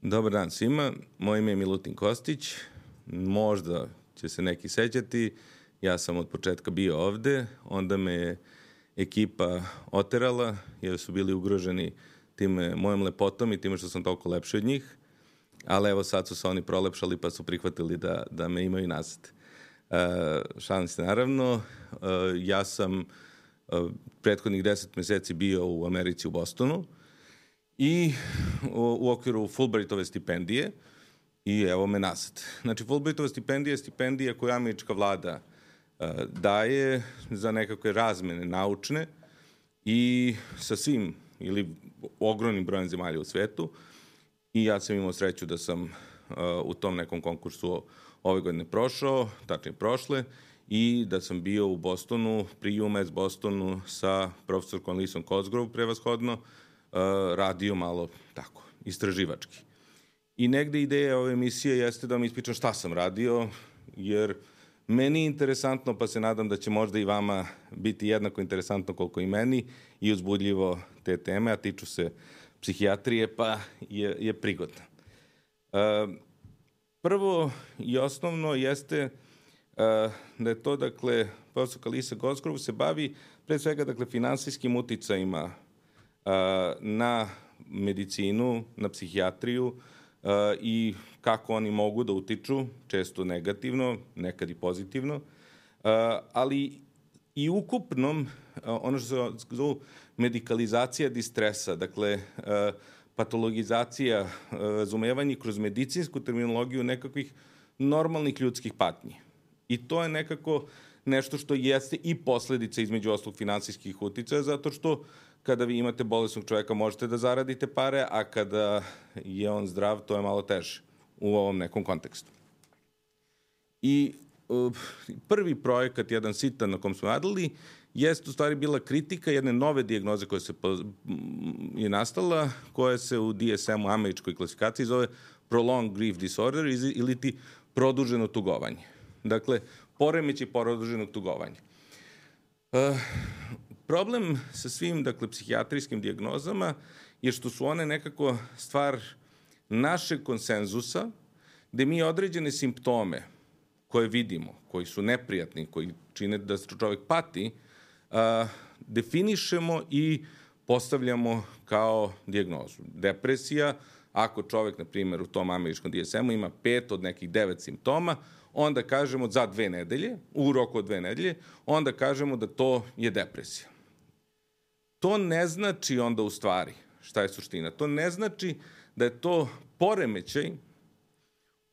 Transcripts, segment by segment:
Dobar dan svima, moje ime je Milutin Kostić, možda će se neki sećati, ja sam od početka bio ovde, onda me je ekipa oterala jer su bili ugroženi time mojom lepotom i time što sam toliko lepši od njih, ali evo sad su se oni prolepšali pa su prihvatili da me imaju nazad. Šalim se naravno, ja sam prethodnih 10 meseci bio u Americi u Bostonu, i u okviru Fulbrightove stipendije i evo me nazad. Znači, Fulbrightova stipendija je stipendija koju američka vlada daje za nekakve razmene naučne i sa svim ili ogromnim brojem zemalja u svetu. I ja sam imao sreću da sam u tom nekom konkursu ove godine prošao, tačnije prošle, i da sam bio u Bostonu, pri UMass Bostonu sa profesorkom Lisom Cosgrove prevashodno, radio malo tako, istraživački. I negde ideja ove emisije jeste da vam ispričam šta sam radio, jer meni je interesantno, pa se nadam da će možda i vama biti jednako interesantno koliko i meni i uzbudljivo te teme, a tiču se psihijatrije, pa je prigodno. Prvo i osnovno jeste da je to, dakle, profesorka Lisa Cosgrove se bavi pre svega, dakle, finansijskim uticajima na medicinu, na psihijatriju i kako oni mogu da utiču, često negativno, nekad i pozitivno, ali i ukupnom, ono što se zove medikalizacija distresa, dakle, patologizacija, razumevanje kroz medicinsku terminologiju nekakvih normalnih ljudskih patnji. I to je nekako nešto što jeste i posledica između ostalog finansijskih uticaja, zato što kada vi imate bolesnog čoveka možete da zaradite pare, a kada je on zdrav, to je malo teže u ovom nekom kontekstu. I prvi projekat, jedan sitan na kom smo radili, jeste u stvari bila kritika jedne nove dijagnoze koja je nastala, koja se u DSM-u, američkoj klasifikaciji, zove Prolonged Grief Disorder ili ti produženo tugovanje. Dakle, poremećaj produženog tugovanja. Problem sa svim, dakle, psihijatrijskim dijagnozama je što su one nekako stvar našeg konsenzusa, gde mi određene simptome koje vidimo, koji su neprijatni, koji čine da čovek pati, definišemo i postavljamo kao dijagnozu. Depresija, ako čovek, na primjer, u tom američkom DSM-u ima 5 od nekih 9 simptoma, onda kažemo za 2 nedelje, u roku od 2 nedelje, onda kažemo da to je depresija. To ne znači onda u stvari šta je suština. To ne znači da je to poremećaj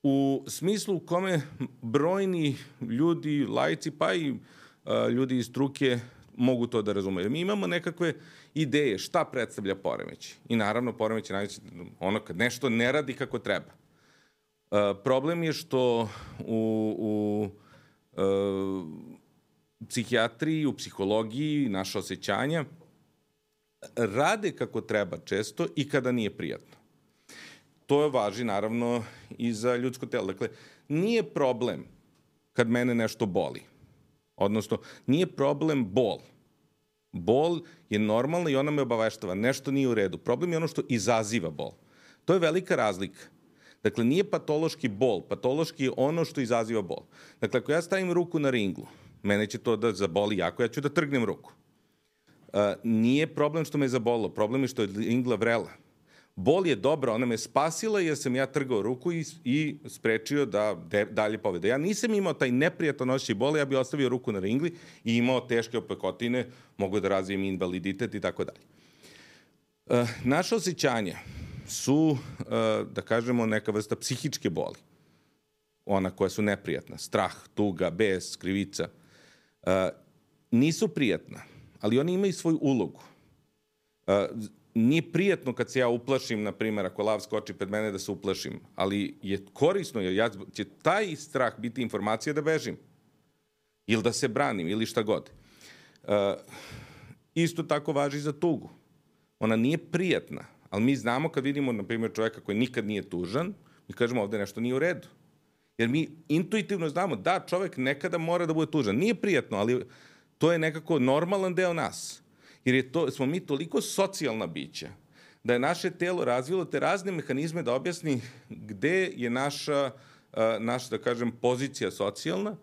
u smislu u kome brojni ljudi, laici, pa i ljudi iz struke mogu to da razumeju. Mi imamo nekakve ideje šta predstavlja poremećaj. I naravno poremećaj najveći ono kad nešto ne radi kako treba. Problem je što u psihijatriji, u psihologiji, naša osjećanja rade kako treba često i kada nije prijatno. To važi naravno i za ljudsko telo. Dakle, nije problem kad mene nešto boli. Odnosno, nije problem bol. Bol je normalna i ona me obaveštava. Nešto nije u redu. Problem je ono što izaziva bol. To je velika razlika. Dakle, nije patološki bol. Patološki je ono što izaziva bol. Dakle, ako ja stavim ruku na ringlu, mene će to da zaboli jako, ja ću da trgnem ruku. Nije problem što me je zabolilo, problem je što je ringla vrela. Bol je dobra, ona me spasila jer sam ja trgao ruku i sprečio da dalje povede. Ja nisam imao taj neprijatan osjećaj boli, ja bih ostavio ruku na ringli i imao teške opekotine, mogu da razvijem invaliditet i tako dalje. Naše osjećanja su, da kažemo, neka vrsta psihičke boli. Ona koja su neprijatna, strah, tuga, bes, krivica. Nisu prijatna, ali oni imaju svoju ulogu. Nije prijatno kad se ja uplašim, na primjer, ako lav skoči pred mene da se uplašim, ali je korisno jer će taj strah biti informacija da bežim ili da se branim ili šta god. Isto tako važi za tugu. Ona nije prijatna, ali mi znamo kad vidimo, na primjer, čoveka koji nikad nije tužan, mi kažemo ovde nešto nije u redu. Jer mi intuitivno znamo da čovek nekada mora da bude tužan. Nije prijatno, ali to je nekako normalan deo nas. Jer smo mi toliko socijalna bića da je naše telo razvilo te razne mehanizme da objasni gde je naša, da kažem, pozicija socijalna.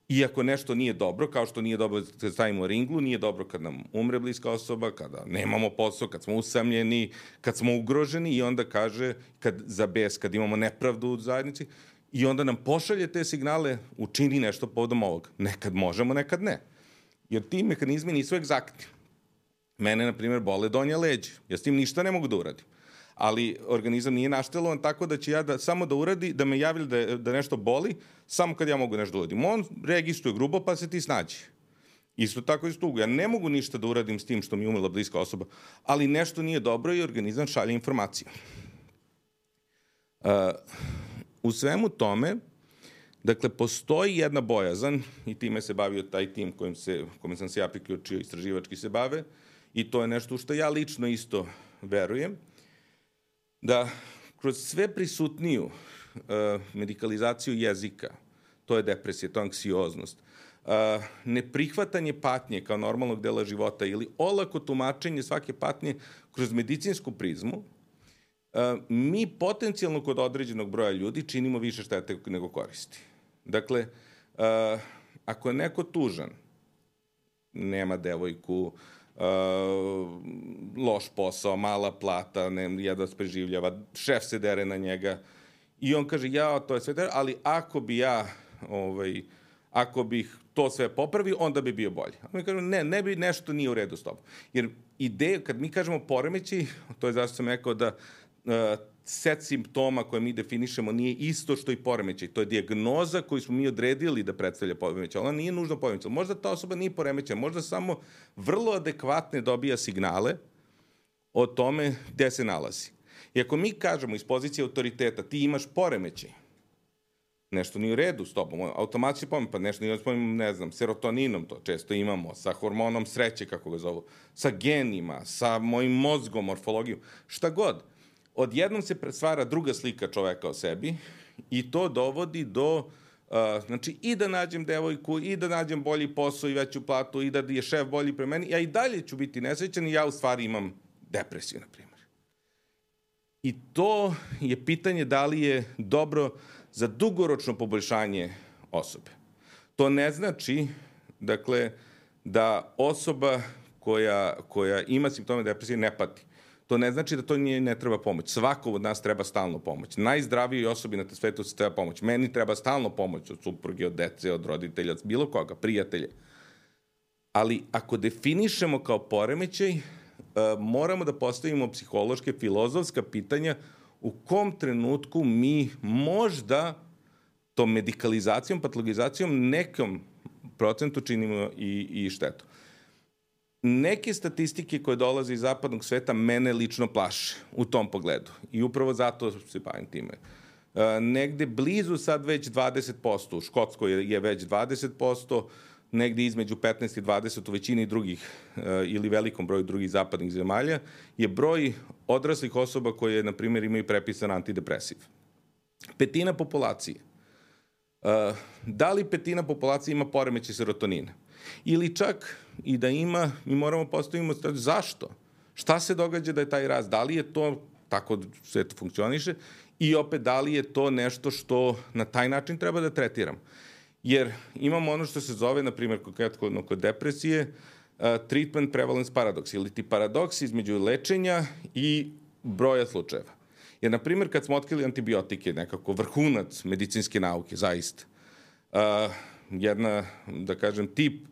I ako nešto nije dobro, kao što nije dobro kad stavimo ringlu, nije dobro kad nam umre bliska osoba, kada nemamo posao, kad smo usamljeni, kad smo ugroženi i onda kaže, kad imamo nepravdu u zajednici, i onda nam pošalje te signale, učini nešto povodom ovog. Nekad možemo, nekad ne. Jer ti mehanizmi nisu egzaktni. Mene, na primjer, bole donja leđa. Ja s tim ništa ne mogu da uradim. Ali organizam nije naštelovan tako da će ja samo da uradi, da me javi da nešto boli, samo kad ja mogu nešto da uradim. On registruje grubo, pa se ti snađi. Isto tako i s tugu. Ja ne mogu ništa da uradim s tim što mi je umrla bliska osoba, ali nešto nije dobro i organizam šalje informaciju. U svemu tome, dakle, postoji jedna bojazan, i time se bavio taj tim kojim sam se ja priključio, istraživački se bave, i to je nešto što ja lično isto verujem, da kroz sve prisutniju medikalizaciju jezika, to je depresija, to je anksioznost, neprihvatanje patnje kao normalnog dela života ili olako tumačenje svake patnje kroz medicinsku prizmu, mi potencijalno kod određenog broja ljudi činimo više štete nego koristi. Dakle, ako je neko tužan, nema devojku, loš posao, mala plata, jedva se preživljava, šef se dere na njega i on kaže, to je sve dere, ali ako bih to sve popravio, onda bi bio bolji. A mi kažemo, nešto nije u redu s tobom. Jer ideja, kad mi kažemo poremećaj, to je zašto sam rekao da set simptoma koje mi definišemo nije isto što i poremećaj. To je dijagnoza koju smo mi odredili da predstavlja poremećaj. Ona nije nužno poremećaj. Možda ta osoba nije poremećaj, možda samo vrlo adekvatne dobija signale o tome gde se nalazi. I ako mi kažemo iz pozicije autoriteta, ti imaš poremećaj, nešto nije u redu s tobom, automatski poremećaj, pa nešto nije u redu, ne znam, serotoninom, to često imamo, sa hormonom sreće, kako ga zovu, sa genima, sa mojim mozgom, morfologijom, šta god. Odjednom se stvara druga slika čoveka o sebi i to dovodi do, znači, i da nađem devojku, i da nađem bolji posao i veću platu, i da je šef bolji pre meni, ja i dalje ću biti nesrećan i ja u stvari imam depresiju, na primjer. I to je pitanje da li je dobro za dugoročno poboljšanje osobe. To ne znači, dakle, da osoba koja ima simptome depresije ne pati. To ne znači da to ne treba pomoć. Svako od nas treba stalno pomoć. Najzdravijoj osobi na svetu se treba pomoć. Meni treba stalno pomoć od supruge, od dece, od roditelja, od bilo koga, prijatelja. Ali ako definišemo kao poremećaj, moramo da postavimo psihološke, filozofska pitanja u kom trenutku mi možda tom medikalizacijom, patologizacijom nekom procentu činimo i štetu. Neke statistike koje dolaze iz zapadnog sveta mene lično plaše u tom pogledu. I upravo zato se bavim time. Negde blizu sad već 20%, u Škotskoj je već 20%, negde između 15 i 20 u većini drugih ili velikom broju drugih zapadnih zemalja, je broj odraslih osoba koje, na primjer, imaju prepisan antidepresiv. Petina populacije. Da li petina populacije ima poremećaj serotonina? Ili čak i da ima, mi moramo postavimo zašto? Šta se događa da je taj rast? Da li je to tako sve to funkcioniše? I opet, da li je to nešto što na taj način treba da tretiramo? Jer imamo ono što se zove, na primjer, konkretno kod depresije, treatment prevalence paradoks, ili ti paradoks između lečenja i broja slučajeva. Jer, na primjer, kad smo otkrili antibiotike, nekako vrhunac medicinske nauke, zaista, jedna, da kažem, tip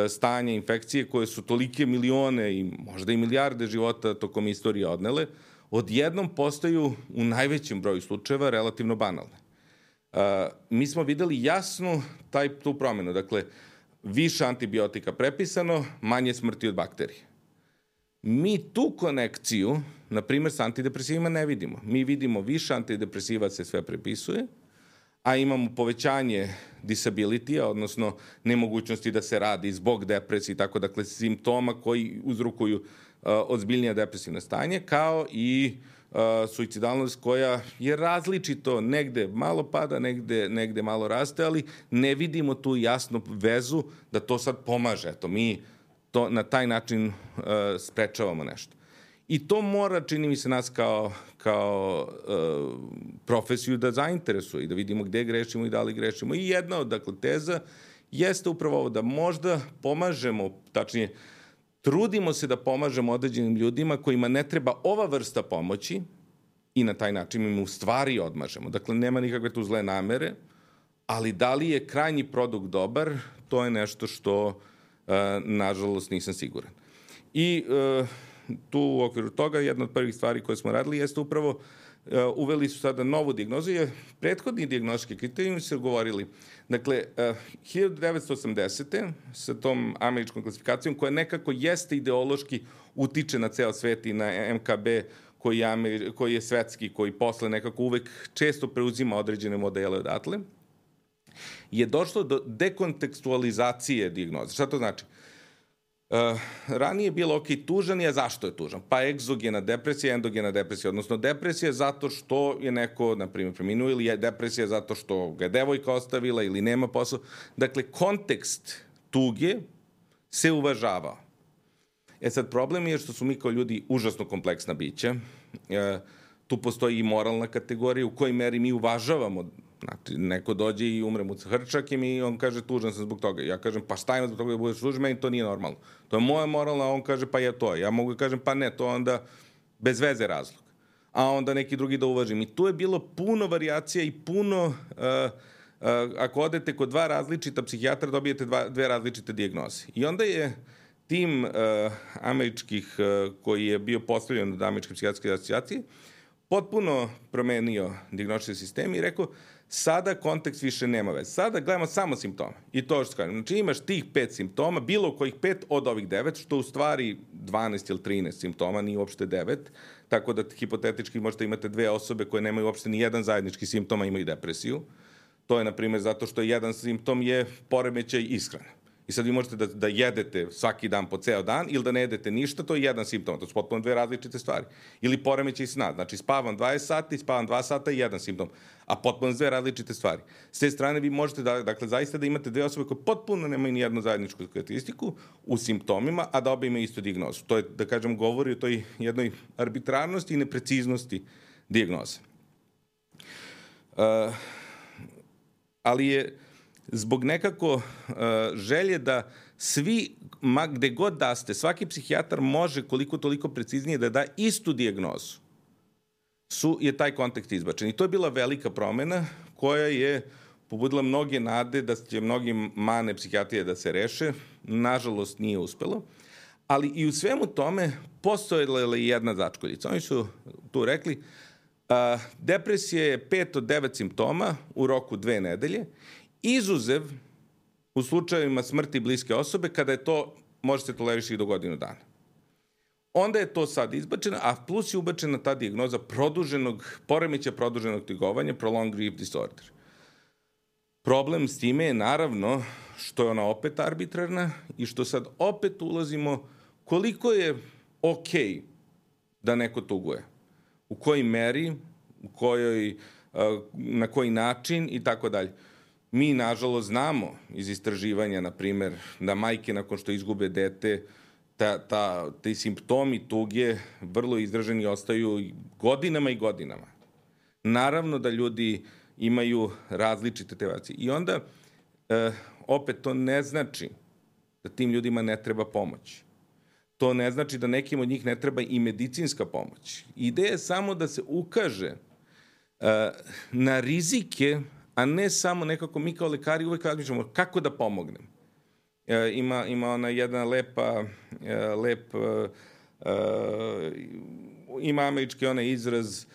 stanja infekcije koje su tolike milione i možda i milijarde života tokom istorije odnele, odjednom postaju u najvećem broju slučajeva relativno banalne. Mi smo videli jasno tu promenu. Dakle, više antibiotika prepisano, manje smrti od bakterije. Mi tu konekciju, na primjer, s antidepresivima ne vidimo. Mi vidimo više antidepresiva se sve prepisuje, a imamo povećanje disabilitija, odnosno nemogućnosti da se radi zbog depresije i tako, dakle, simptoma koji uzrokuju ozbiljnije depresivne stanje, kao i suicidalnost koja je različito, negde malo pada, negde malo raste, ali ne vidimo tu jasnu vezu da to sad pomaže. Eto, mi to na taj način sprečavamo nešto. I to mora, čini mi se, nas kao profesiju da zainteresuje i da vidimo gde grešimo i da li grešimo. I jedna od, dakle, teza jeste upravo ovo da možda pomažemo, tačnije, trudimo se da pomažemo određenim ljudima kojima ne treba ova vrsta pomoći i na taj način im u stvari odmažemo. Dakle, nema nikakve tu zle namere, ali da li je krajnji produkt dobar, to je nešto što, nažalost, nisam siguran. I tu u okviru toga jedna od prvih stvari koje smo radili jeste upravo uveli su sada novu dijagnozu, jer prethodni dijagnostički kriterijumi su govorili. Dakle, 1980. sa tom američkom klasifikacijom koja nekako jeste ideološki utiče na ceo svet i na MKB koji je svetski, koji posle nekako uvek često preuzima određene modele odatle, je došlo do dekontekstualizacije dijagnoze. Šta to znači? Ranije je bilo, ok, tužan je, zašto je tužan? Pa egzogena depresija, endogena depresija, odnosno depresija zato što je neko, na primjer, preminuo, ili je depresija zato što ga je devojka ostavila ili nema posao. Dakle, kontekst tuge se uvažavao. Sad, problem je što su mi kao ljudi užasno kompleksna bića. Tu postoji i moralna kategorija u kojoj meri mi uvažavamo. Znači, neko dođe i umre mu sa hrčakem i on kaže tužan sam zbog toga. Ja kažem pa šta ima zbog toga da budeš tužan, meni to nije normalno. To je moja moralna, a on kaže pa je to. Ja mogu da kažem pa ne, to onda bez veze razlog. A onda neki drugi da uvažim. I tu je bilo puno varijacija i puno... ako odete kod dva različita psihijatra, dobijete dve različite dijagnoze. I onda je tim američkih koji je bio postavljen od Američke psihijatrijske asocijacije potpuno promenio dijagnostički sistem i rekao sada kontekst više nema veze. Sada gledamo samo simptome. I to što kažem. Znači imaš tih 5 simptoma, bilo kojih 5 od ovih 9, što u stvari 12 ili 13 simptoma, nije uopšte 9, tako da hipotetički možete imate dve osobe koje nemaju uopšte ni jedan zajednički simptom, a imaju depresiju. To je, na primjer, zato što jedan simptom je poremećaj ishrane. I sad vi možete da jedete svaki dan po ceo dan ili da ne jedete ništa, to je jedan simptom. To su potpuno dve različite stvari. Ili poremećaj sna. Znači spavam 20 sati, spavam 2 sata i jedan simptom. A potpuno dve različite stvari. S te strane vi možete dakle, zaista da imate dve osobe koje potpuno nemaju ni jednu zajedničku karakteristiku u simptomima, a da obe imaju istu dijagnozu. To je, da kažem, govori o toj jednoj arbitrarnosti i nepreciznosti dijagnoze. Ali je zbog nekako želje da svi, gde god da ste, svaki psihijatar može koliko toliko preciznije da da istu dijagnozu, je taj kontekst izbačen. I to je bila velika promena koja je pobudila mnoge nade da će mnogi mane psihijatrije da se reše. Nažalost, nije uspelo. Ali i u svemu tome postojala je jedna začkoljica. Oni su tu rekli depresija je 5 od 9 simptoma u roku 2 nedelje, izuzev u slučajevima smrti bliske osobe kada je to, može se tolerišiti i do godinu dana. Onda je to sad izbačeno, a plus je ubačena ta dijagnoza poremeća produženog tugovanja, prolonged grief disorder. Problem s time je naravno što je ona opet arbitrarna i što sad opet ulazimo koliko je okej da neko tuguje. U kojoj meri, na koji način i tako dalje. Mi, nažalost, znamo iz istraživanja, na primer, da majke nakon što izgube dete, ti simptomi tuge vrlo izraženi ostaju godinama i godinama. Naravno da ljudi imaju različite tevacije. I onda, opet, to ne znači da tim ljudima ne treba pomoć. To ne znači da nekim od njih ne treba i medicinska pomoć. Ideja je samo da se ukaže na rizike, a ne samo nekako mi kao lekari uvek razmišljamo kako da pomognem. Ima ona jedna ima američki onaj izraz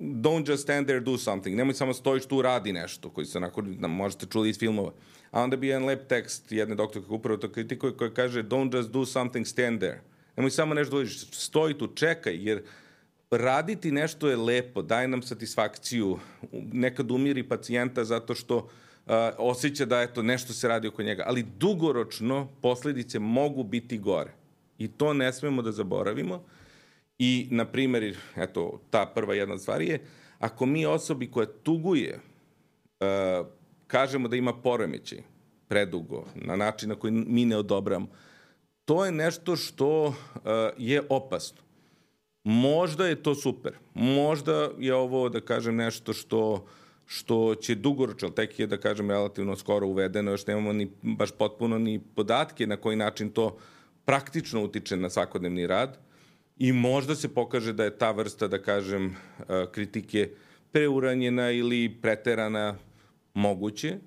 don't just stand there, do something. Nemoj samo stojiš tu, radi nešto, koji se onako, možete čuli iz filmova. A onda bi jedan lep tekst jedne doktorke upravo to kritikuje, koja kaže don't just do something, stand there. Nemoj samo nešto dođeš, stoji tu, čekaj, jer raditi nešto je lepo, daje nam satisfakciju, nekad umiri pacijenta zato što osjeća da eto, nešto se radi oko njega, ali dugoročno posledice mogu biti gore. I to ne smemo da zaboravimo. I, na primjer, eto, ta prva jedna stvar je, ako mi osobi koja tuguje kažemo da ima poremećaj predugo, na način na koji mi ne odobramo, to je nešto što je opasno. Možda je to super. Možda je ovo, da kažem, nešto što će dugoročno, tek je, da kažem, relativno skoro uvedeno, još nemamo ni baš potpuno ni podatke na koji način to praktično utiče na svakodnevni rad i možda se pokaže da je ta vrsta, da kažem, kritike preuranjena ili preterana moguće,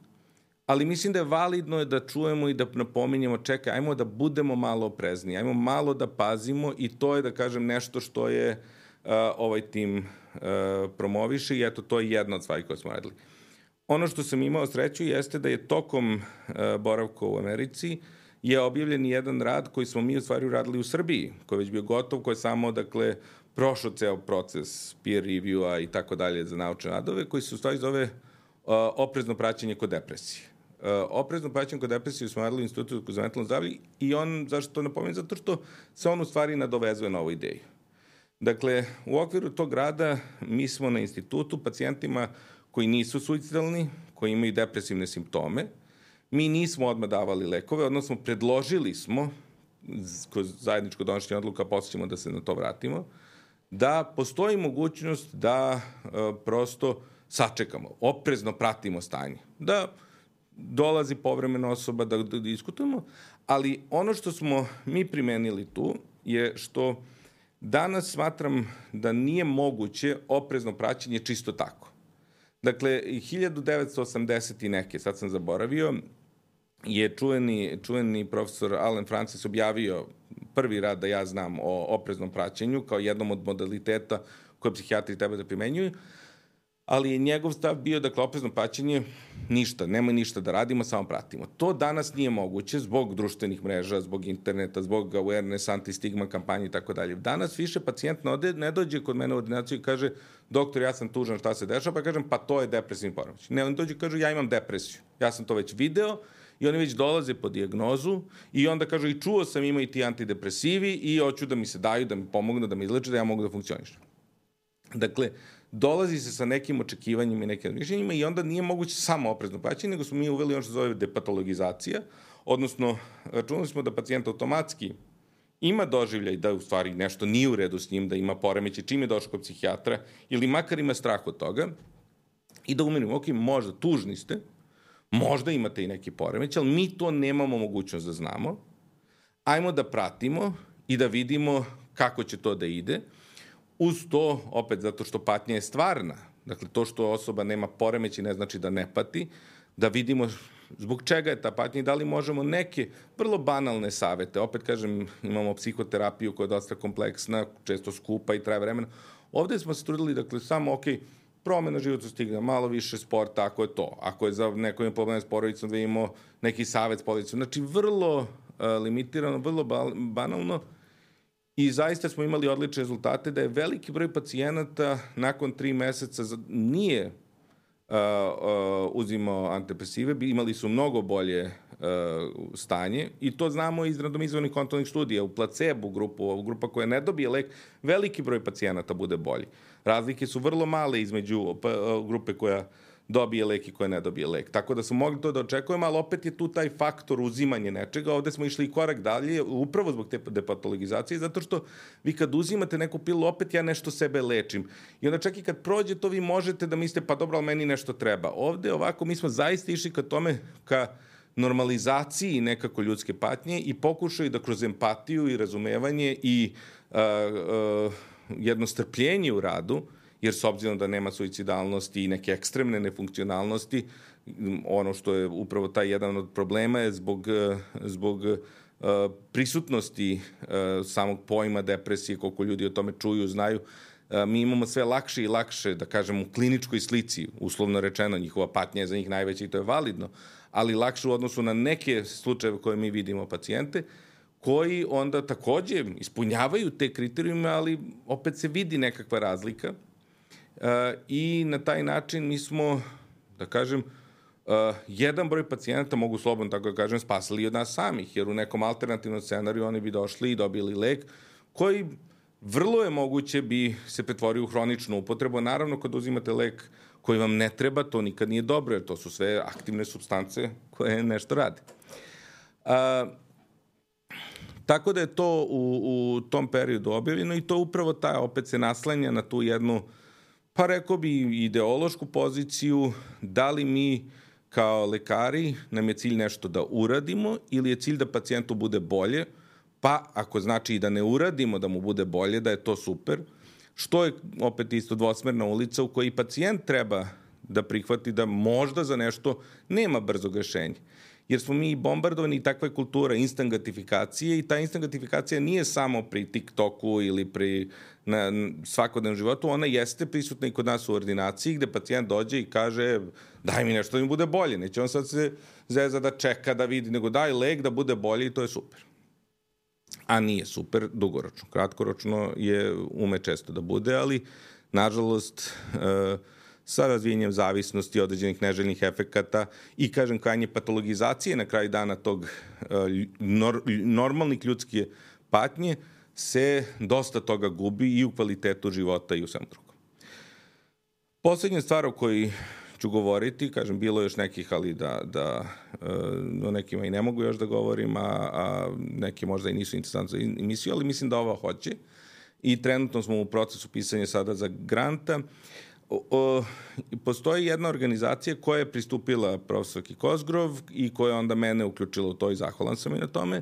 ali mislim da je validno da čujemo i da napominjemo, čekaj, ajmo da budemo malo oprezniji, ajmo malo da pazimo i to je, da kažem, nešto što je ovaj tim promoviše i eto, to je jedna od stvari koje smo radili. Ono što sam imao sreću jeste da je tokom boravka u Americi je objavljen jedan rad koji smo mi u stvari uradili u Srbiji, koji je već bio gotov, koji je samo, dakle, prošao ceo proces peer review-a i tako dalje za naučne radove, koji se u stvari zove oprezno praćenje kod depresije. Oprezno praćenje kod depresije smo radili u Institutu za mentalno zdravlje i on, zašto to napominjem? Zato što se on u stvari nadovezuje na ovu ideju. Dakle, u okviru tog rada mi smo na institutu pacijentima koji nisu suicidalni, koji imaju depresivne simptome, mi nismo odmah davali lekove, odnosno predložili smo, kroz zajedničko donošenje odluka, posle ćemo da se na to vratimo, da postoji mogućnost da prosto sačekamo, oprezno pratimo stanje, da dolazi povremena osoba da diskutujemo, ali ono što smo mi primenili tu je što danas smatram da nije moguće oprezno praćenje čisto tako. Dakle, 1980 i neke, sad sam zaboravio, je čuveni profesor Alan Francis objavio prvi rad da ja znam o opreznom praćenju kao jednom od modaliteta koje psihijatri treba da primenjuju, ali je njegov stav bio, dakle, oprezno praćenje, ništa, nemoj ništa da radimo, samo pratimo. To danas nije moguće zbog društvenih mreža, zbog interneta, zbog awareness, anti-stigma kampanje i tako dalje. Danas više pacijent ne dođe kod mene u ordinaciju i kaže, doktor, ja sam tužan, šta se dešava, pa kažem, pa to je depresivni poremećaj. Ne, on dođe i kaže, ja imam depresiju. Ja sam to već video i oni već dolaze po dijagnozu i onda kažu, i čuo sam, ima i ti antidepresivi i hoću da mi se daju, da mi pomognu, da mi izleče, da ja mogu da funkcionišem. Dakle, dolazi se sa nekim očekivanjima i nekim mišljenjima i onda nije moguće samo oprezno praćenje, nego smo mi uveli ono što zove depatologizacija, odnosno računali smo da pacijent automatski ima doživljaj da u stvari nešto nije u redu s njim, da ima poremećaj čim je došao kod psihijatra ili makar ima strah od toga i da umirimo, ok, možda tužni ste, možda imate i neki poremećaj, ali mi to nemamo mogućnost da znamo, ajmo da pratimo i da vidimo kako će to da ide. Uz to, opet zato što patnja je stvarna, dakle to što osoba nema poremećaj ne znači da ne pati, da vidimo zbog čega je ta patnja i da li možemo neke vrlo banalne savete, opet kažem, imamo psihoterapiju koja je dosta kompleksna, često skupa i traje vremena. Ovde smo se trudili, dakle, samo, ok, promena životnog stila, malo više sporta, ako je to. Ako je za neko ima probleme s porodicom, da imamo neki savet s porodicom. Znači, vrlo limitirano, vrlo banalno. I zaista smo imali odlične rezultate da je veliki broj pacijenata nakon 3 meseca nije uzimao antidepresive, imali su mnogo bolje stanje i to znamo iz randomizovanih kontrolnih studija. U placebo grupu, grupa koja ne dobije lek, veliki broj pacijenata bude bolji. Razlike su vrlo male između grupe koja dobije lek i koja ne dobije lek. Tako da smo mogli to da očekujemo, ali opet je tu taj faktor uzimanje nečega. Ovde smo išli i korak dalje, upravo zbog te depatologizacije, zato što vi kad uzimate neku pilu, opet ja nešto sebe lečim. I onda čak i kad prođe to, vi možete da mislite, pa dobro, ali meni nešto treba. Ovde ovako, mi smo zaista išli ka tome, ka normalizaciji nekako ljudske patnje i pokušaju da kroz empatiju i razumevanje i jedno strpljenje u radu, jer s obzirom da nema suicidalnosti i neke ekstremne nefunkcionalnosti, ono što je upravo taj jedan od problema je zbog prisutnosti samog pojma depresije, koliko ljudi o tome čuju, znaju, mi imamo sve lakše i lakše, da kažem, u kliničkoj slici, uslovno rečeno, njihova patnja je za njih najveća i to je validno, ali lakše u odnosu na neke slučajeve koje mi vidimo pacijente, koji onda takođe ispunjavaju te kriterijume, ali opet se vidi nekakva razlika. I na taj način mi smo, da kažem, jedan broj pacijenata, mogu slobodno tako da kažem, spasili od nas samih, jer u nekom alternativnom scenariju oni bi došli i dobili lek koji vrlo je moguće bi se pretvorio u hroničnu upotrebu. Naravno, kad uzimate lek koji vam ne treba, to nikad nije dobro, jer to su sve aktivne supstance koje nešto rade. Tako da je to u tom periodu objavljeno i to upravo opet se naslanja na tu jednu, pa rekao bi, ideološku poziciju, da li mi kao lekari nam je cilj nešto da uradimo ili je cilj da pacijentu bude bolje, pa ako znači i da ne uradimo da mu bude bolje, da je to super, što je opet isto dvosmerna ulica u kojoj pacijent treba da prihvati da možda za nešto nema brzog rešenja. Jer smo mi bombardovani i takva je kultura instant gratifikacije i ta instant gratifikacija nije samo pri TikToku ili pri svakodnevnom životu, ona jeste prisutna i kod nas u ordinaciji gde pacijent dođe i kaže daj mi nešto da mi bude bolje, neće on sad se zeza da čeka da vidi, nego daj lek da bude bolje i to je super. A nije super dugoročno. Kratkoročno ume često da bude, ali nažalost sa razvijenjem zavisnosti, određenih neželjnih efekata i, kažem, krajnje patologizacije na kraju dana tog normalnih ljudske patnje, se dosta toga gubi i u kvalitetu života i u svem drugom. Poslednja stvar o kojoj ću govoriti, kažem, bilo još nekih, ali o nekima i ne mogu još da govorim, a neki možda i nisu interesantni za emisiju, ali mislim da ova hoće. I trenutno smo u procesu pisanja sada za granta. Postoji jedna organizacija koja je pristupila profesorki Cosgrove i koja onda mene uključila u to i zahvalan sam i na tome,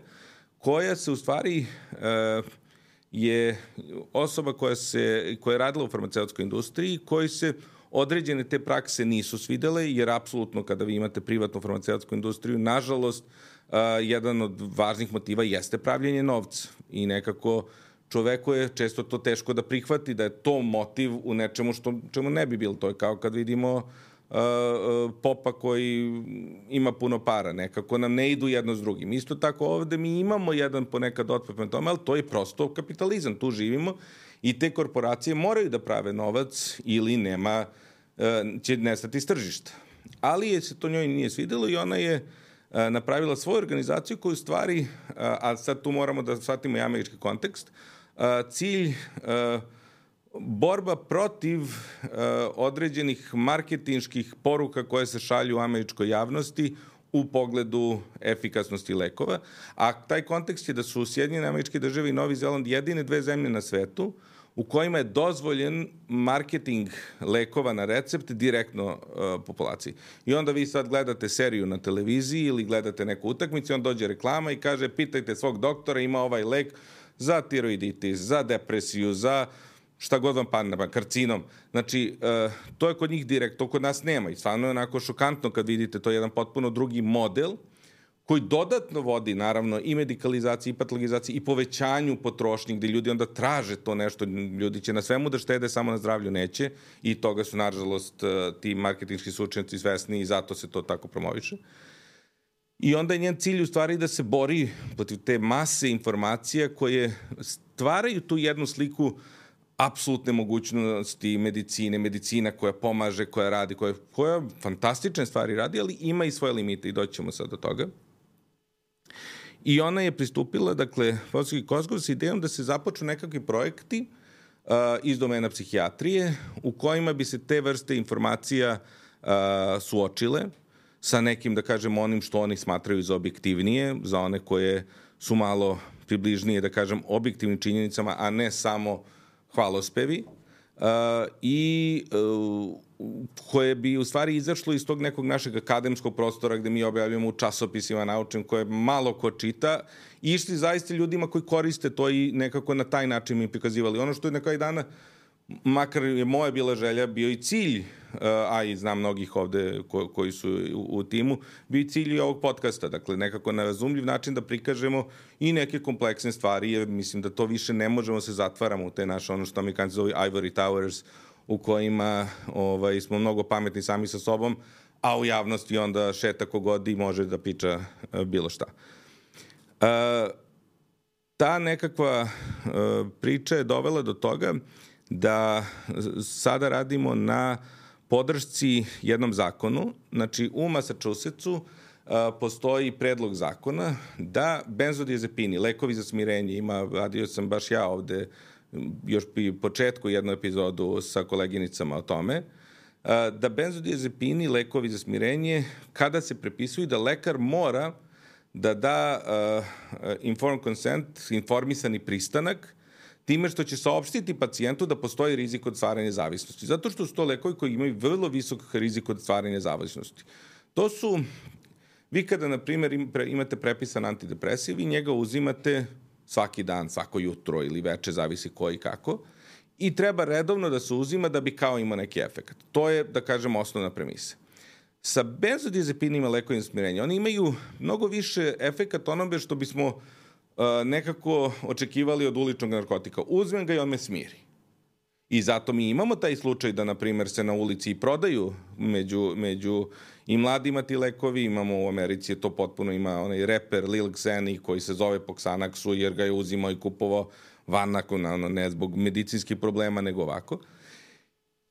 koja se u stvari je osoba koja je radila u farmaceutskoj industriji, koji se određene te prakse nisu svidele, jer apsolutno kada vi imate privatnu farmaceutsku industriju, nažalost, jedan od važnih motiva jeste pravljenje novca i nekako čoveku je često to teško da prihvati, da je to motiv u nečemu čemu ne bi bilo. To je kao kad vidimo popa koji ima puno para. Nekako nam ne idu jedno s drugim. Isto tako ovde mi imamo jedan ponekad otpor prema tome, ali to je prosto kapitalizam. Tu živimo i te korporacije moraju da prave novac ili će nestati iz tržišta. Ali se to njoj nije svidelo i ona je napravila svoju organizaciju koju stvari, a sad tu moramo da shvatimo i američki kontekst, cilj borba protiv određenih marketinških poruka koje se šalju u američkoj javnosti u pogledu efikasnosti lekova, a taj kontekst je da su Sjedinjene Američke Države i Novi Zeland jedine dve zemlje na svetu u kojima je dozvoljen marketing lekova na recept direktno populaciji. I onda vi sad gledate seriju na televiziji ili gledate neku utakmicu i onda dođe reklama i kaže pitajte svog doktora, ima ovaj lek za tiroiditis, za depresiju, za šta god vam padne, karcinom. Znači, to je kod njih direkt, to kod nas nema i stvarno je onako šokantno kad vidite, to je jedan potpuno drugi model koji dodatno vodi, naravno, i medikalizaciji, i patologizaciji, i povećanju potrošnje, gde ljudi onda traže to nešto, ljudi će na svemu da štede, samo na zdravlju neće, i toga su, nažalost, ti marketinški stručnjaci svesni i zato se to tako promoviše. I onda je njen cilj u stvari da se bori protiv te mase informacija koje stvaraju tu jednu sliku apsolutne mogućnosti medicina koja pomaže, koja radi, koja fantastične stvari radi, ali ima i svoje limite i doćemo sad do toga. I ona je pristupila, dakle, profesorki Cosgrove sa idejom da se započnu nekakvi projekti iz domena psihijatrije u kojima bi se te vrste informacija suočile sa nekim, da kažem, onim što oni smatraju za objektivnije, za one koje su malo približnije, da kažem, objektivnim činjenicama, a ne samo hvalospevi, i koje bi u stvari izašlo iz tog nekog našeg akademskog prostora gde mi objavljamo u časopisima naučnim koje malo ko čita, i išli zaista ljudima koji koriste to i nekako na taj način mi prikazivali. Ono što je na kraju dana, makar je moja bila želja, bio i cilj, a i znam mnogih ovde koji su u timu, bio i cilj i ovog podcasta, dakle nekako na razumljiv način da prikažemo i neke kompleksne stvari, jer mislim da to više ne možemo se zatvaramo u te naše, ono što Amerikanci zove ivory towers, u kojima smo mnogo pametni sami sa sobom, a u javnosti onda šeta kogod i može da priča bilo šta. Ta nekakva priča je dovela do toga da sada radimo na podršci jednom zakonu. Znači, u Massachusettsu postoji predlog zakona da benzodiazepini, lekovi za smirenje, radio sam baš ja ovde još pri početku jednu epizodu sa koleginicama o tome, da benzodiazepini, lekovi za smirenje, kada se prepisuju, da lekar mora da da informed consent, informisani pristanak, time što će saopštiti pacijentu da postoji rizik od stvaranja zavisnosti. Zato što su to lekovi koji imaju vrlo visok rizik od stvaranja zavisnosti. To su, vi kada, na primjer, imate prepisan antidepresiv i njega uzimate svaki dan, svako jutro ili veče, zavisi ko i kako, i treba redovno da se uzima da bi kao imao neki efekt. To je, da kažem, osnovna premisa. Sa benzodiazepinima lekovima smirenja, oni imaju mnogo više efekat onome što bismo nekako očekivali od uličnog narkotika. Uzmem ga i on me smiri. I zato mi imamo taj slučaj da, na primjer, se na ulici i prodaju među i mladima ti lekovi. Imamo u Americi, to potpuno ima onaj reper Lil Xeni koji se zove po Xanaxu jer ga je uzimao i kupovao van ne zbog medicinskih problema, nego ovako.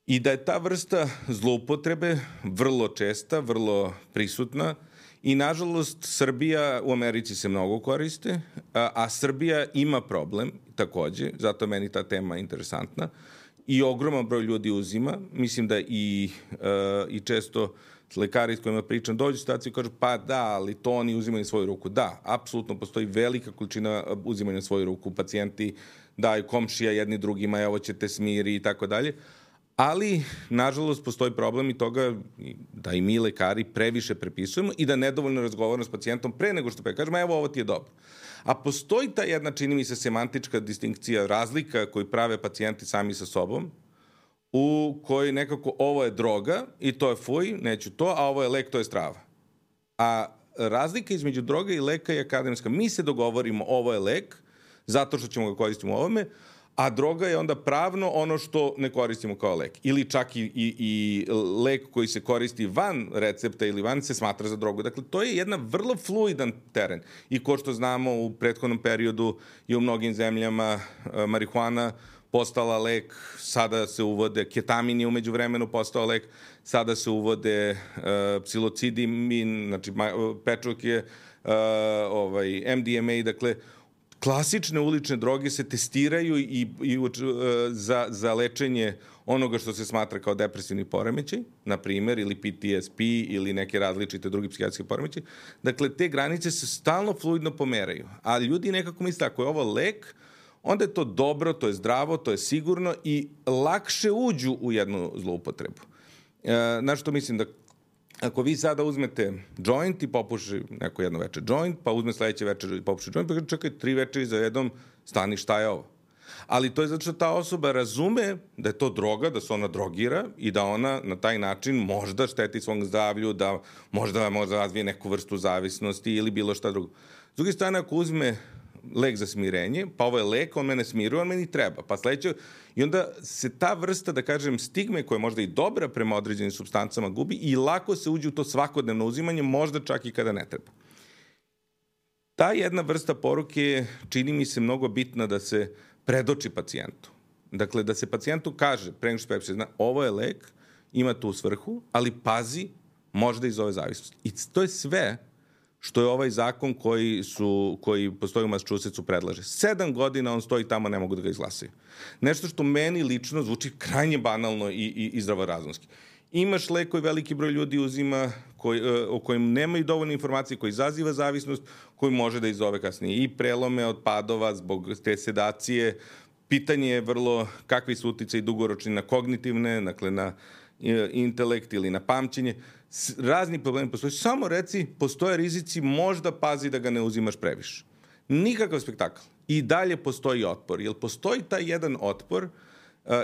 I da je ta vrsta zloupotrebe vrlo česta, vrlo prisutna i, nažalost, Srbija u Americi se mnogo koriste, a Srbija ima problem takođe, zato je meni ta tema interesantna, i ogroman broj ljudi uzima. Mislim da i često lekari s kojima pričam dođu u situaciju i kažu pa da, ali to oni uzimaju na svoju ruku. Da, apsolutno postoji velika količina uzimanja na svoju ruku. Pacijenti daju komšija jedni drugima, evo ćete smiri i tako dalje. Ali, nažalost, postoji problem i toga da i mi lekari previše prepisujemo i da nedovoljno razgovaramo s pacijentom pre nego što kažemo evo ovo ti je dobro. A postoji ta jedna, čini mi se, semantička distinkcija, razlika koju prave pacijenti sami sa sobom, u kojoj nekako ovo je droga i to je fuj, neću to, a ovo je lek, to je strava. A razlika između droga i leka je akademska. Mi se dogovorimo ovo je lek, zato što ćemo ga koristiti u ovome, a droga je onda pravno ono što ne koristimo kao lek. Ili čak i lek koji se koristi van recepta ili van se smatra za drogu. Dakle, to je jedna vrlo fluidan teren. I ko što znamo, u prethodnom periodu je u mnogim zemljama marihuana postala lek, sada se uvode, ketamin je umeđu vremenu postao lek, sada se uvode psilocidimin, znači pečok je MDMA, dakle, klasične ulične droge se testiraju za lečenje onoga što se smatra kao depresivni poremećaj, na primjer, ili PTSP ili neke različite drugi psihijatrijske poremećaje. Dakle, te granice se stalno fluidno pomeraju. A ljudi nekako misle, ako je ovo lek, onda je to dobro, to je zdravo, to je sigurno i lakše uđu u jednu zloupotrebu. Znaš što mislim da ako vi sada uzmete joint i popuši neko jedno večer joint, pa uzme sledeće večer i popuši joint, pa čekaj 3 večeri za jednom, stani šta je ovo. Ali to je zato što ta osoba razume da je to droga, da se ona drogira i da ona na taj način možda šteti svom zdravlju, da možda razvije neku vrstu zavisnosti ili bilo šta drugo. S druge strane, ako uzme lek za smirenje, pa ovo je lek, on mene smiruje, on meni treba. Pa sledeće, i onda se ta vrsta, da kažem, stigme koja je možda i dobra prema određenim supstancama gubi i lako se uđe u to svakodnevno uzimanje, možda čak i kada ne treba. Ta jedna vrsta poruke je, čini mi se, mnogo bitna da se predoči pacijentu. Dakle, da se pacijentu kaže, pre nego što prepiše, zna, ovo je lek, ima tu svrhu, ali pazi, možda izove zavisnosti. I to je sve što je ovaj zakon koji postoji u Massachusettsu predlaže. 7 godina on stoji tamo, ne mogu da ga izglasaju. Nešto što meni lično zvuči krajnje banalno i zdravorazumski. Imaš lek koji veliki broj ljudi uzima, o kojem nemaju dovoljno informacije, koji izaziva zavisnost, koji može da izove kasnije i prelome od padova zbog te sedacije. Pitanje je vrlo kakvi su uticaji dugoročni na kognitivne, dakle na intelekt ili na pamćenje. Razni problemi postoje. Samo reci, postoje rizici, možda pazi da ga ne uzimaš previše. Nikakav spektakl. I dalje postoji otpor. Jer postoji taj jedan otpor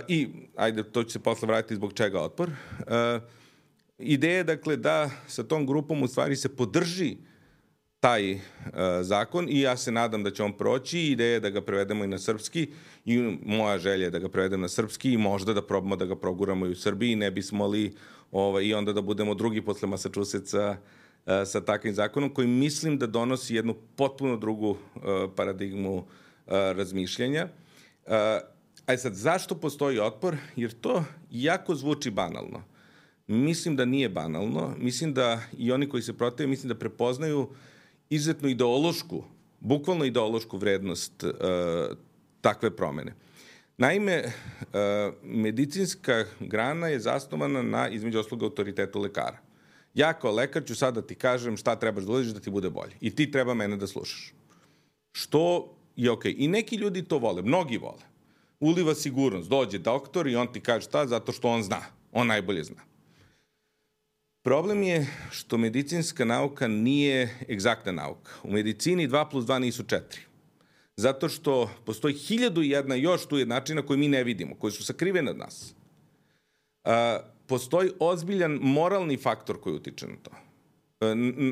i, ajde, to će se posle vratiti zbog čega otpor. Ideja je, dakle, da sa tom grupom u stvari se podrži taj zakon i ja se nadam da će on proći. Ideja je da ga prevedemo i na srpski i moja želja je da ga prevedem na srpski i možda da probamo da ga proguramo i u Srbiji, ne bismo li i onda da budemo drugi posle Massachusettsa sa takvim zakonom koji mislim da donosi jednu potpuno drugu paradigmu razmišljanja. A sad, zašto postoji otpor? Jer to jako zvuči banalno. Mislim da nije banalno. Mislim da i oni koji se protive, mislim da prepoznaju izuzetno ideološku, bukvalno ideološku vrednost takve promene. Naime, medicinska grana je zasnovana na, između ostalog, autoritetu lekara. Ja kao lekar ću sad da ti kažem šta trebaš da uradiš da ti bude bolje. I ti treba mene da slušaš. Što je okej. I neki ljudi to vole, mnogi vole. Uliva sigurnost. Dođe doktor i on ti kaže šta, zato što on zna. On najbolje zna. Problem je što medicinska nauka nije egzaktna nauka. U medicini 2+2 nisu 4. Zato što postoji 1001 još tu jednačina koju mi ne vidimo, koji su sakrivene od nas. Postoji ozbiljan moralni faktor koji utiče na to.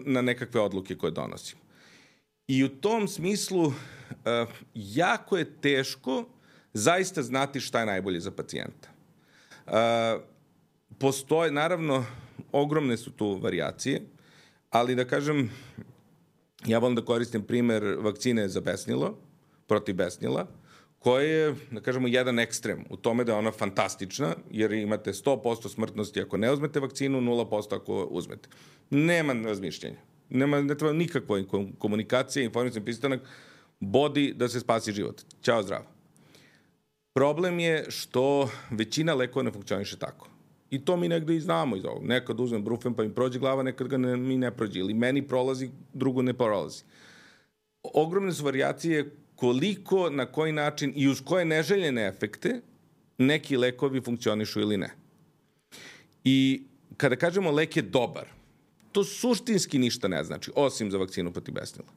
Na nekakve odluke koje donosimo. I u tom smislu jako je teško zaista znati šta je najbolje za pacijenta. Postoje, naravno, ogromne su tu varijacije, ali da kažem, ja volim da koristim primer vakcine za besnilo, protiv besnila, koja je, da kažemo, jedan ekstrem u tome da je ona fantastična, jer imate 100% smrtnosti ako ne uzmete vakcinu, 0% ako uzmete. Nema razmišljenja. Ne treba nikakva komunikacija, informacijski pristanak, bodi da se spasi život. Ćao, zdravo. Problem je što većina lekova ne funkcioniše tako. I to mi negde i znamo iz ovog. Nekad uzmem brufen pa mi prođe glava, nekad ga mi ne prođe. Ili meni prolazi, drugo ne prolazi. Ogromne su varijacije koliko, na koji način i uz koje neželjene efekte neki lekovi funkcionišu ili ne. I kada kažemo lek je dobar, to suštinski ništa ne znači, osim za vakcinu protiv besnila.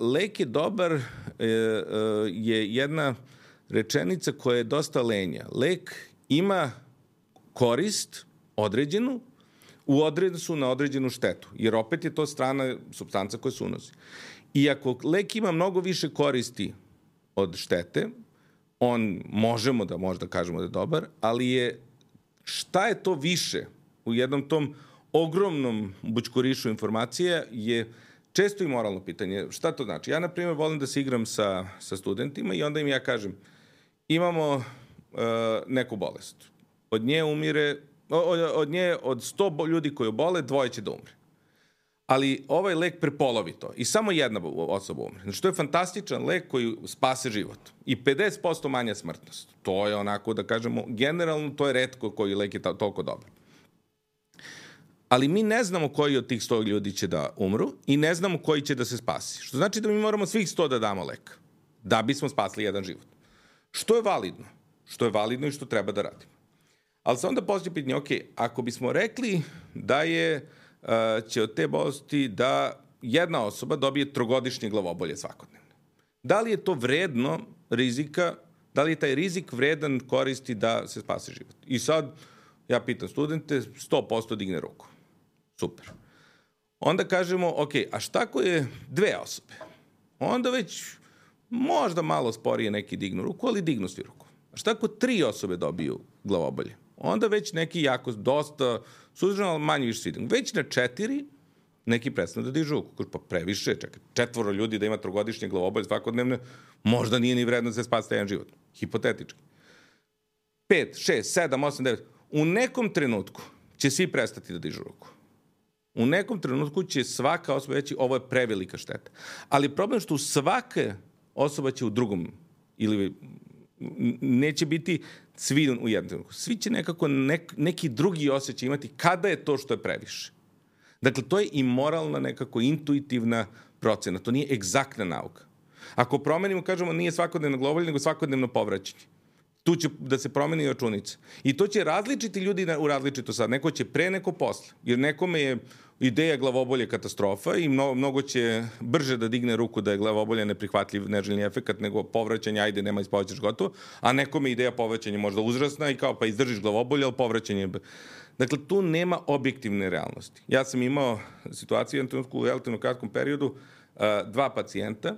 Lek je dobar je jedna rečenica koja je dosta lenja. Lek ima korist određenu u odnosu na određenu štetu, jer opet je to strana supstanca koja se unosi. I ako lek ima mnogo više koristi od štete, on možemo da možda kažemo da je dobar, ali je šta je to više u jednom tom ogromnom bućkurišu informacija je često i moralno pitanje. Šta to znači? Ja, na primjer, volim da se igram sa studentima i onda im ja kažem, imamo neku bolest. Od nje od 100 ljudi koji obole, 2 će da umre. Ali ovaj lek prepolovi to i samo jedna osoba umre. Znači, to je fantastičan lek koji spase život. I 50% manja smrtnost. To je onako, da kažemo, generalno to je retko koji lek je toliko dobar. Ali mi ne znamo koji od tih 100 ljudi će da umru i ne znamo koji će da se spasi. Što znači da mi moramo svih 100 da damo lek. Da bismo spasli jedan život. Što je validno? Što je validno i što treba da radimo. Ali se onda postoji pitanje, ok, ako bismo rekli da će od te bolesti da jedna osoba dobije 3-godišnje glavobolje svakodnevno. Da li je to vredno rizika, da li je taj rizik vredan koristi da se spase život? I sad, ja pitam studente, 100% digne ruku. Super. Onda kažemo, ok, a šta ako je 2 osobe? Onda već možda malo sporije neki dignu ruku, ali dignu svi ruku. A šta ako 3 osobe dobiju glavobolje? Onda već neki jako, dosta suzdržano, ali manje više svi dignu. Već na 4 neki prestanu da dižu ruku. Pa previše, čekaj, 4 ljudi da ima 3-godišnje glavobolje svakodnevne, možda nije ni vredno da se spasi jedan život. Hipotetički. 5, 6, 7, 8, 9. U nekom trenutku će svi prestati da dižu ruku. U nekom trenutku će svaka osoba reći ovo je prevelika šteta. Ali problem što svaka osoba će u drugom ili neće biti svi u jednom trenutku. Svi će nekako neki drugi osjećaj imati kada je to što je previše. Dakle, to je i moralna nekako intuitivna procena. To nije egzaktna nauka. Ako promenimo, kažemo, nije svakodnevno glavobolje, nego svakodnevno povraćanje. Tu će da se promeni računica. I to će različiti ljudi u različito sad. Neko će pre, neko posle. Jer nekome je ideja glavobolje katastrofa i mnogo će brže da digne ruku da je glavobolje neprihvatljiv neželjni efekat nego povraćanje, ajde, nema ispovećaš gotovo, a nekome ideja povraćanja možda uzrasna i kao pa izdržiš glavobolje, ali povraćanje. Dakle, tu nema objektivne realnosti. Ja sam imao situaciju u jednom trenutku u relativno kratkom periodu, 2 pacijenta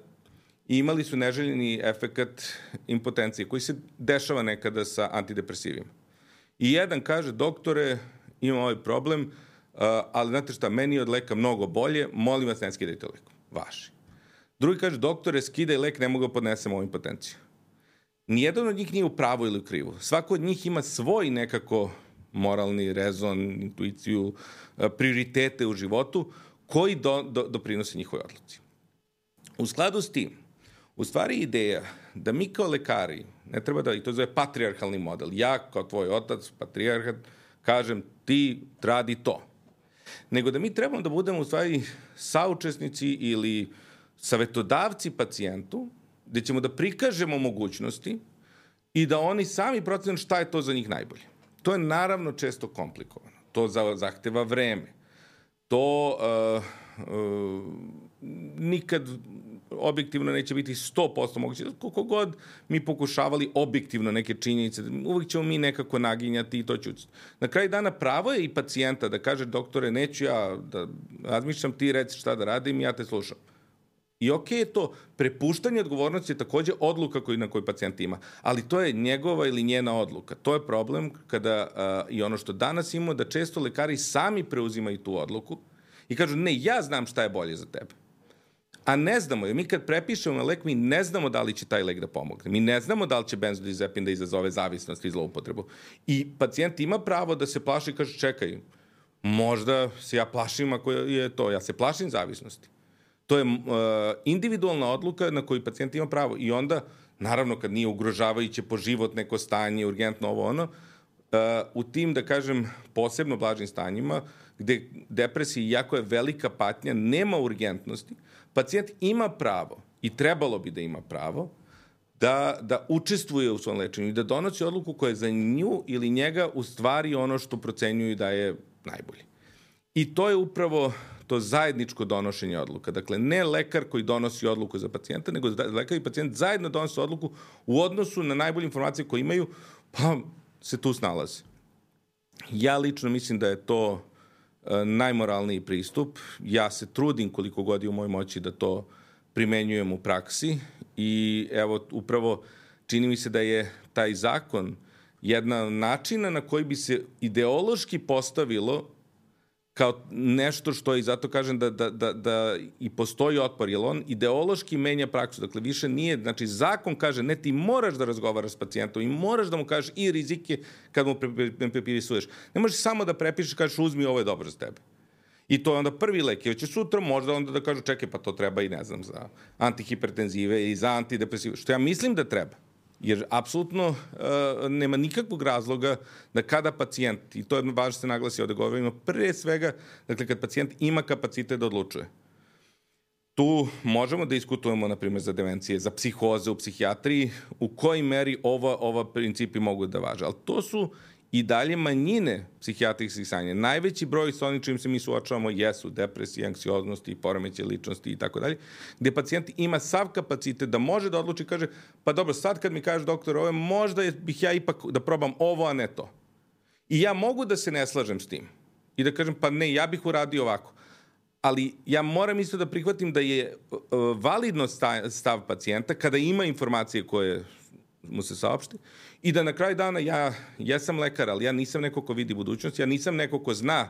i imali su neželjeni efekat impotencije koji se dešava nekada sa antidepresivima. I jedan kaže, doktore, imam ovaj problem, ali znate šta, meni je od leka mnogo bolje, molim vas ne skidajte lek. Vaši. Drugi kaže, doktore, skidaj lek, ne mogu da podnesem ovu impotenciju. Nijedan od njih nije u pravu ili u krivu. Svako od njih ima svoj nekako moralni rezon, intuiciju, prioritete u životu koji doprinose njihovoj odluci. U skladu s tim, u stvari ideja da mi kao lekari, ne treba da, i to zove patrijarhalni model, ja kao tvoj otac, patrijarhat, kažem ti radi to. nego da mi trebamo da budemo u stvari saučesnici ili savetodavci pacijentu, gde ćemo da prikažemo mogućnosti i da oni sami procenu šta je to za njih najbolje. To je naravno često komplikovano. To zahteva vreme. To nikad objektivno neće biti 100% moguće. Koliko god mi pokušavali objektivno neke činjenice, uvijek ćemo mi nekako naginjati i to ću. Na kraju dana pravo je i pacijenta da kaže doktore, neću ja da razmišljam, ti reci šta da radim, ja te slušam. I okej je to, prepuštanje odgovornosti je takođe odluka na koju pacijent ima, ali to je njegova ili njena odluka. To je problem kada i ono što danas imamo, da često lekari sami preuzimaju tu odluku i kažu, ne, ja znam šta je bolje za tebe. A ne znamo, jer mi kad prepišemo na lek, mi ne znamo da li će taj lek da pomogne. Mi ne znamo da li će benzodiazepin da izazove zavisnost i zloupotrebu. I pacijent ima pravo da se plaši i kaže, čekaj, možda se ja plašim ako je to, ja se plašim zavisnosti. To je individualna odluka na koju pacijent ima pravo. I onda, naravno, kad nije ugrožavajuće po život neko stanje, urgentno ovo ono, u tim, da kažem, posebno blažim stanjima, gde depresija, iako je velika patnja, nema urgentnosti, pacijent ima pravo i trebalo bi da ima pravo da učestvuje u svom lečenju i da donosi odluku koja je za nju ili njega u stvari ono što procenjuju da je najbolje. I to je upravo to zajedničko donošenje odluka. Dakle, ne lekar koji donosi odluku za pacijenta, nego lekar i pacijent zajedno donose odluku u odnosu na najbolje informacije koje imaju, pa se tu snalaze. Ja lično mislim da je to najmoralniji pristup. Ja se trudim koliko god je u mojoj moći da to primenjujem u praksi i evo, upravo čini mi se da je taj zakon jedna načina na koji bi se ideološki postavilo kao nešto što je, i zato kažem da i postoji otpor, jer on ideološki menja praksu. Dakle, više nije, znači zakon kaže, ne, ti moraš da razgovaraš s pacijentom i moraš da mu kažeš i rizike kad mu prepisuješ. Ne možeš samo da prepišeš, kažeš uzmi, ovo je dobro za tebe. I to je onda prvi lek. Jer će sutra možda onda da kažu, čekaj, pa to treba i ne znam, za antihipertenzive i za antidepresive, što ja mislim da treba. Jer apsolutno nema nikakvog razloga da kada pacijent, i to je važno se naglasi ovde govorimo, pre svega, dakle, kad pacijent ima kapacitet da odlučuje. Tu možemo da diskutujemo, na primjer, za demencije, za psihoze u psihijatriji, u kojoj meri ova principi mogu da važe. Ali to su i dalje manjine psihijatrijskih stanja. Najveći broj sa onim čim se mi suočavamo jesu depresije, anksioznosti, poremećaji ličnosti i tako dalje, gde pacijent ima sav kapacitet da može da odluči i kaže, pa dobro, sad kad mi kaže doktor ovo, možda bih ja ipak da probam ovo, a ne to. I ja mogu da se ne slažem s tim. I da kažem, pa ne, ja bih uradio ovako. Ali ja moram isto da prihvatim da je validno stav pacijenta kada ima informacije koje mu se saopšti i da na kraju dana ja sam lekar, ali ja nisam neko ko vidi budućnost, ja nisam neko ko zna,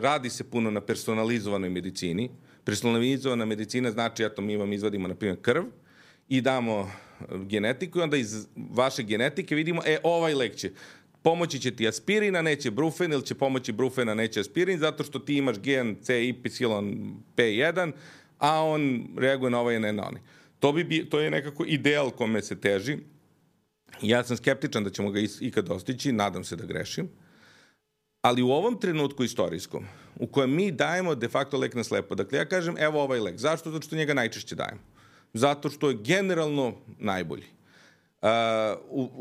radi se puno na personalizovanoj medicini. Personalizovana medicina znači, eto, mi vam izvadimo, na primjer, krv i damo genetiku i onda iz vaše genetike vidimo, ovaj lek će pomoći će ti aspirin, a neće brufen, ili će pomoći brufen, a neće aspirin, zato što ti imaš gen CYP1, a on reaguje na ovaj, ne na onaj. To je nekako ideal kome se teži. Ja sam skeptičan da ćemo ga ikad dostići, nadam se da grešim. Ali u ovom trenutku istorijskom, u kojem mi dajemo de facto lek na slepo, dakle ja kažem, evo ovaj lek. Zašto? Zato što njega najčešće dajemo. Zato što je generalno najbolji.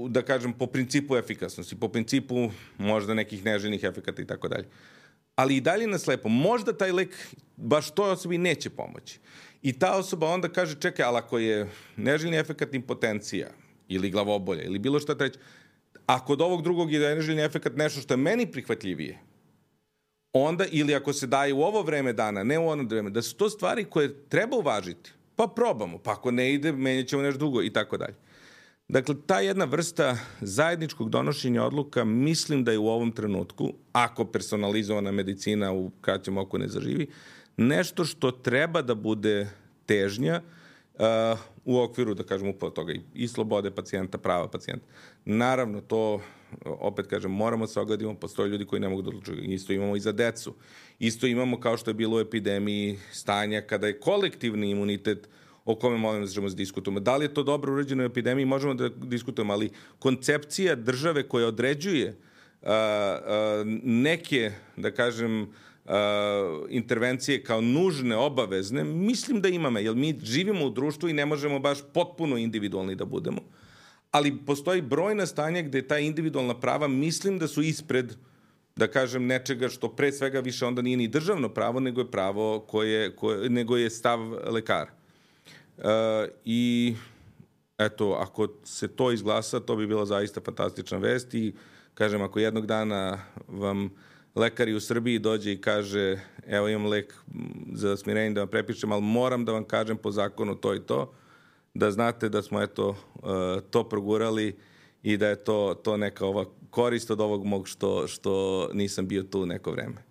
Da kažem, po principu efikasnosti, po principu možda nekih neželjenih efekata i tako dalje. Ali i dalje na slepo. Možda taj lek baš toj osobi neće pomoći. I ta osoba onda kaže, čekaj, ali ako je neželjeni efekat impotencija ili glavobolja ili bilo šta treće, ako od ovog drugog je neželjeni efekat nešto što je meni prihvatljivije, onda, ili ako se daje u ovo vreme dana, ne u ono vreme, da su to stvari koje treba uvažiti, pa probamo, pa ako ne ide, menjat ćemo nešto drugo i tako dalje. Dakle, ta jedna vrsta zajedničkog donošenja odluka mislim da je u ovom trenutku, ako personalizovana medicina u kraćem oku ne zaživi, nešto što treba da bude težnja u okviru, da kažem, upravo toga i slobode pacijenta, prava pacijenta. Naravno, to, opet kažem, moramo se ogledimo, postoje ljudi koji ne mogu da odlučuju. Isto imamo i za decu. Isto imamo, kao što je bilo u epidemiji, stanja kada je kolektivni imunitet o kome možemo da diskutujemo. Da li je to dobro uređeno u epidemiji, možemo da diskutujemo, ali koncepcija države koja određuje neke, da kažem, intervencije kao nužne, obavezne, mislim da imamo, jer mi živimo u društvu i ne možemo baš potpuno individualni da budemo. Ali postoji brojna stanja gde ta individualna prava mislim da su ispred, da kažem, nečega što pre svega više onda nije ni državno pravo, nego je pravo nego je stav lekara. I eto, ako se to izglasa, to bi bila zaista fantastična vest i kažem, ako jednog dana vam lekari u Srbiji dođe i kaže evo imam lek za smirenje da vam prepišem, ali moram da vam kažem po zakonu to i to, da znate da smo eto to progurali i da je to neka ova korist od ovog mog što nisam bio tu neko vreme.